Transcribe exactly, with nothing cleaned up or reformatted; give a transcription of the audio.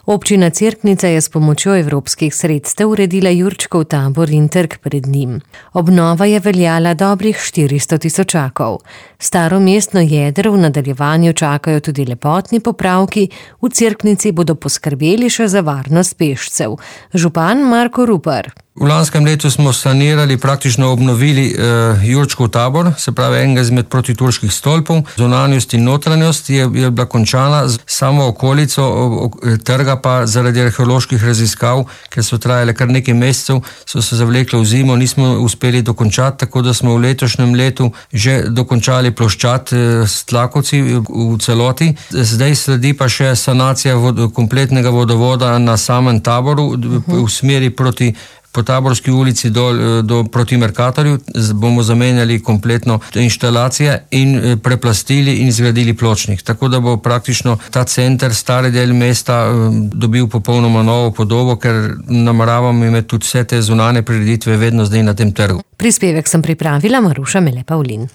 Občina Cerknica je s pomočjo evropskih sredstev uredila Jurčkov tabor in trg pred njim. Obnova je veljala dobrih štiristo tisočakov. Staro mestno jedro v nadaljevanju čakajo tudi lepotni popravki, v Cerknici bodo poskrbeli še za varnost pešcev. Župan Marko Rupar. V lanskem letu smo sanirali, praktično obnovili uh, Jurčkov tabor, se pravi enega izmed protiturških stolpov. Zunanjost in notranjost je, je bila končana, samo okolico o, o, trga pa zaradi arheoloških raziskav, ker so trajale kar nekaj mesecev, so se zavlekle v zimo, nismo uspeli dokončati, tako da smo v letošnjem letu že dokončali ploščad uh, s tlakovci v, v celoti. Zdaj sledi pa še sanacija vod, kompletnega vodovoda na samem taboru uh-huh. v smeri proti po Taborski ulici do, do proti Merkatorju. Bomo zamenjali kompletno inštalacije in preplastili in zgradili pločnik. Tako da bo praktično ta center, stari del mesta, dobil popolnoma novo podobo, ker nameravamo imeti tudi vse te zunanje prireditve vedno zdaj na tem trgu. Prispevek sem pripravila Maruša Mele Pavlin.